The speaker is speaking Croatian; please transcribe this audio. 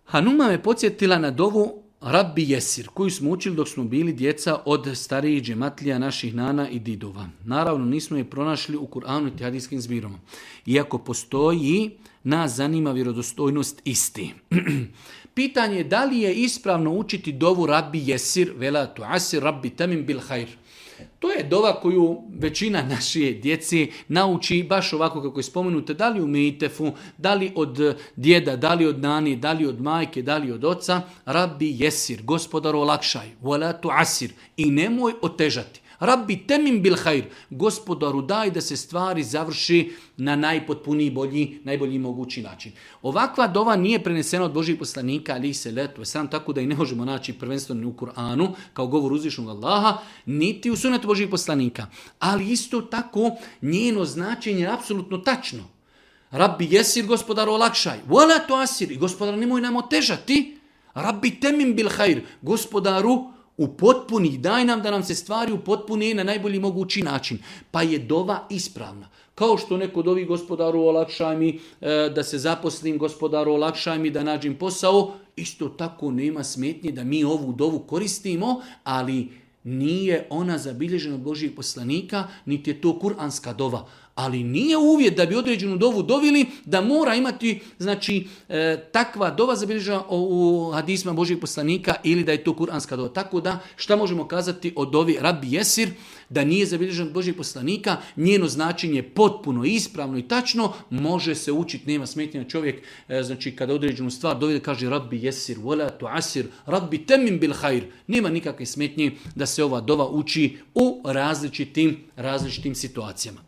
Hanuma me podsjetila na dovu Rabbi Jesir, koju smo učili dok smo bili djeca od starijih džematlija naših nana i didova. Naravno, nismo je pronašli u Kur'anu i hadijskim zbirama. Iako postoji, nas zanima vjerodostojnost isti. Pitanje je da li je ispravno učiti dovu Rabbi Jesir, vela tu asir Rabbi temim bil hajr. To je dova koju većina naše djeci nauči baš ovako kako je spomenuto, da li u Mitefu, da li od djeda, da li od nani, da li od majke, da li od oca. Rabbi Jesir, gospodaru olakšaj, wala tu asir, i nemoj otežati. Rabbi temim bil hajr, gospodaru daj da se stvari završi na najpotpuniji, najbolji mogući način. Ovakva dova nije prenesena od Božih poslanika, ali se letu sam, tako da i ne možemo naći prvenstveno u Kur'anu kao govor uzvišnog Allaha, niti u sunetu Božih poslanika. Ali isto tako njeno značenje je apsolutno tačno. Rabbi Jesir, gospodaru olakšaj, wala tu asir, i gospodaru nemoj nam otežati. Rabbi temim bil hajr, gospodaru upotpuni, daj nam da nam se stvari upotpuni na najbolji mogući način. Pa je dova ispravna. Kao što neko dovi gospodaru olakšaj mi da se zaposlim, gospodaru olakšaj mi da nađem posao, isto tako nema smetnje da mi ovu dovu koristimo, ali nije ona zabilježena od Božijeg poslanika, niti je to kuranska dova. Ali nije uvjet da bi određenu dovu dovili da mora imati, znači, takva dova zabilježena u hadisma Božijeg poslanika ili da je to kuranska dova. Tako da, šta možemo kazati o dovi Rabbi Jesir? Da nije zabilježena od Božijeg poslanika, njeno značenje je potpuno ispravno i tačno, može se učiti, nema smetnja čovjek, znači kada određenu stvar dovi da kaže Rabbi Jesir, wala tu asir, Rabbi temim bil hajr. Nema nikakve smetnje da se ova dova uči u različitim situacijama.